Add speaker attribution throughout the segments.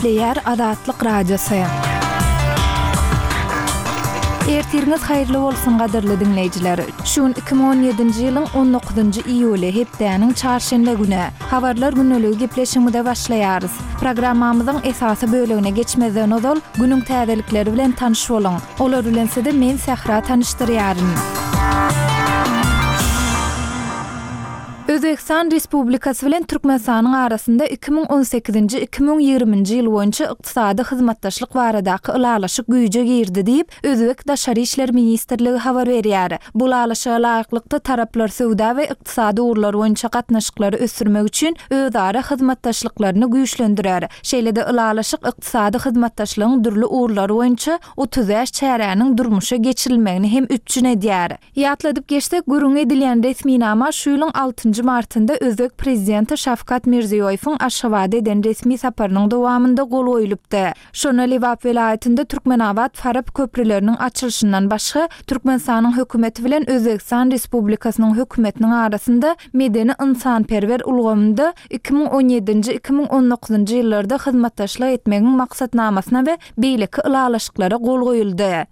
Speaker 1: Gepleýär Azatlyk Radiosy. Ertiriňiz haýyrly bolsun gadyrly diňleýjiler. Şu gün 2017-nji ýylyň 19-njy iýuly, hepdäniň çarşenbe güni. Habarlar gündeligi gepleşigimize başlaýarys. Programmamyzyň esasy bölegine geçmezden ozal, günüň täzelikleri bilen tanyş boluň. Olar bilen sizi men Sähra tanyşdyrýaryn. Özbegistan Respublikasy bilen Türkmenistanyň arasynda 2018-nji, 2020-nji ýyl boýunça ykdysady hyzmatdaşlyk baradaky ylalaşyk güýje girdi diýip, özbek Daşary işler ministrligi habar berýär. Bu ylalaşyga laýyklykda, taraplar söwda we ykdysady ugurlar boýunça gatnaşyklary ösdürmek üçin özara hyzmatdaşlyklaryny güýçlendirer. Şeýle-de ylalaşyk ykdysady hyzmatdaşlygyň dürli ugurlary boýunça 35 çäräniň durmuşa geçirilmegini hem üpjün edýär. Ýatladyp geçsek, gürrüňi edilýän resminama şu ýylyň altynjy martynda özbek prezidenti Şawkat Mirziýoýewiň Aşgabada eden resmi saparynyň dowamynda gol goýlupdy. Şonda Lebap welaýatynda Türkmenabat-Farap köprüleriniň açylyşyndan başga, Türkmenistanyň Hökümeti bilen Özbegistan Respublikasynyň Hökümetiniň arasynda medeni-ynsanperwer ulgamynda 2017-nji, 2019-njy ýyllarda hyzmatdaşlyk etmegiň maksatnamasyna we beýleki ylalaşyklara gol goýuldy.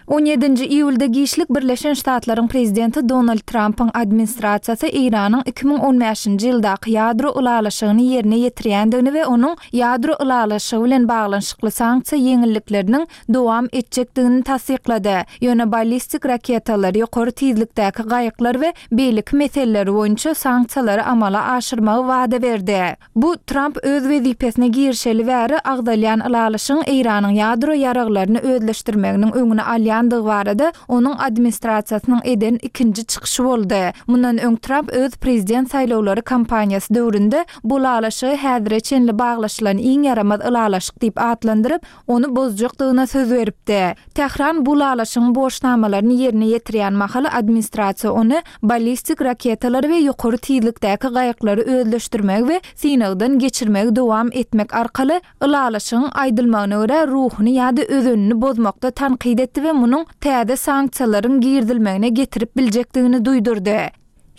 Speaker 1: On ýedinji iýulda giçlik Birleşen Ştatlaryň prezidenti Donald Trampyň administrasiýasy Eýranyň 2015-nji ýyldaky ýadro ylalaşygyny ýerine ýetirýändigini we onuň ýadro ylalaşygy bilen baglanyşykly sanksiýa ýeňillikleriniň dowam etjekdigini tassyklady. Ýöne ballistik raketalar, ýokary tizlikdäki gaýyklar we beýleki meseleler boýunça sanksiýalary amala aşyrmagy wada berdi. Bu, Tramp öz wezipesine girişeli bäri agzalýan ylalaşygyň Eýranyň ýadro ýaraglaryny özleşdirmeginiň öňüni alýandygy barada onuň administrasiýasynyň eden ikinji çykyşy boldy. Mundan öň Tramp öz prezident saýlawlary kampaniýasy döwründe bu ylalaşygy häzire çenli baglaşylan iň ýaramaz ylalaşyk diýip atlandyryp, ony bozjakdygyna söz beripdi. Tähran bu ylalaşygyň borçnamalaryny ýerine ýetirýän mahaly administrasiýa ony ballistik raketalary we ýokary tizlikdäki gaýyklary özleşdirmegi we synagdan geçirmegi dowam etmek arkaly ylalaşygyň aýdylmagyna görä ruhuny ýa-da özenini bozmakda tankyt etdi we munuň täze sanksiýalaryň girizilmegine getirip biljekdigini duýdurdy.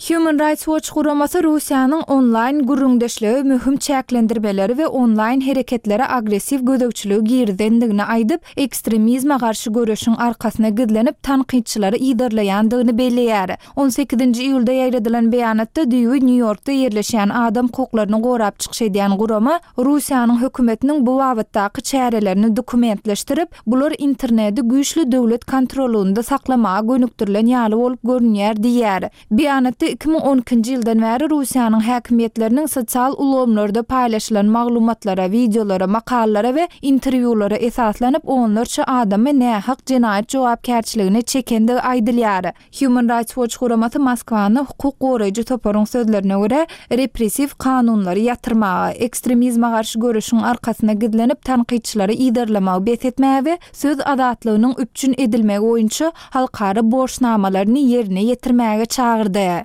Speaker 1: Human Rights Watch guramasy Russiýanyň onlaýn gürrüňdeşlige möhüm çäklendirmeleri we onlaýn hereketlere agressiw gözegçiligi girizendigini aýdyp, ekstremizme garşy göreşiň arkasyna gizlenip tankytçylary yzarlaýandygyny belleýär. On sekizinji iýulda ýaýradylan beýanatda düýbi Nýu-Ýorkda ýerleşýän adam hukuklaryny gorap çykyş edýän gurama Russiýanyň hökümetiniň bu babatdaky çärelerini dokumentleşdirip, Bular interneti güýçli döwlet kontrollygynda saklamaga gönükdirilen ýaly bolup görünýär diýýär. Beýanatda 2012-nji ýyldan bäri Russiýanyň häkimiýetleriniň sosial ulgamlarda paýlaşylan maglumatlara, wideolara, makalalara we interwýulara esaslanyp onlarça adamy nähak jenaýat jogapkärçiligine çekendigi aýdylýar. Human Rights Watch guramasy Moskwany hukuk goraýjy toparyň sözlerine görä, repressiw kanunlary ýatyrmaga, ekstremizme garşy göreşiň arkasyna gizlenip tankytçylary yzarlamagy bes etmäge we söz azatlygynyň üpjün edilmegi boýunça halkara borçnamalaryny ýerine ýetirmäge çagyrdy.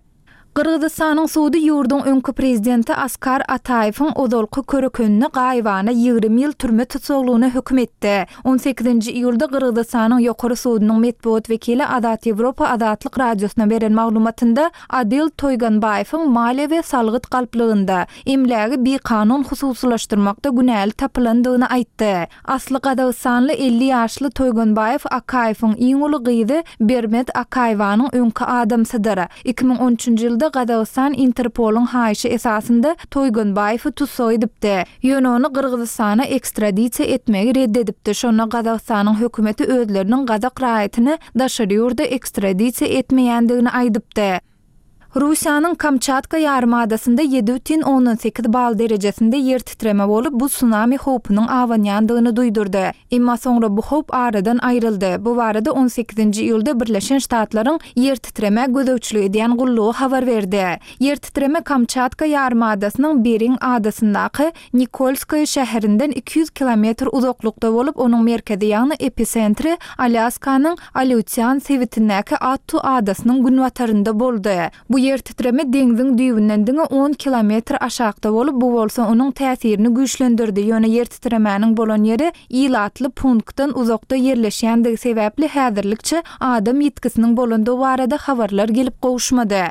Speaker 1: Gyrgyzystanyň sudy ýurduň öňki prezidenti Askar Ataýewiň ozalky körekenini gaýybana 20 ýyl türme tussaglygyna höküm etdi. On sekizinji iýulda Gyrgyzystanyň Ýokary sudunyň metbugat wekili Azat Ýewropa Azatlyk Radiosyna beren maglumatynda Adil Toýganbaýewiň maliýe we salgyt galplygynda, emlägi bikanun hususylaşdyrmakda günäli tapylandygyny aýtdy. Asly gazagystanly 50 ýaşly Toýganbaýew Akaýewiň iň uly gyzy Bermet Akaýewanyň öňki adamsydyr. 2013-nji ýylda Gazagystan Interpolyň haýyşy esasynda Toýganbaýewi tussag edipdi. Ýöne ony Gyrgyzystana ekstradisiýa etmegi red edipdi. Şonda Gazagystanyň hökümeti özleriniň gazak raýatyny daşary ýurda ekstradisiýa etmeýändigini aýdypdy. Russiýanyň Kamçatka ýarymadasynda 7,8 bal derejesinde ýer titreme bolup, bu sunami howpunyň abanýandygyny duýdurdy. Emma soňra bu howp aradan aýryldy. Bu barada on sekizinji iýulda Birleşen Ştatlaryň ýer titremä gözegçilik edýän gullugy habar berdi. Ýer titreme Kamçatka ýarymadasynyň Bering adasyndaky Nikolskoýe şäherinden 200 kilometr uzaklykda bolup, onuň merkezi, ýagny episentri Alýaskanyň Aleutian sebitindäki Attu adasynyň günbatarynda boldy. Bu ýer titreme deňziň düýbünden diňe on kilometr aşakda bolup, bu bolsa onuň täsirini güýçlendirdi, ýöne ýer titremäniň bolan ýeri ilatly punktdan uzakda ýerleşýändigi sebäpli häzirlikçe adam ýitgisiniň bolandygy barada habarlar gelip gowuşmady.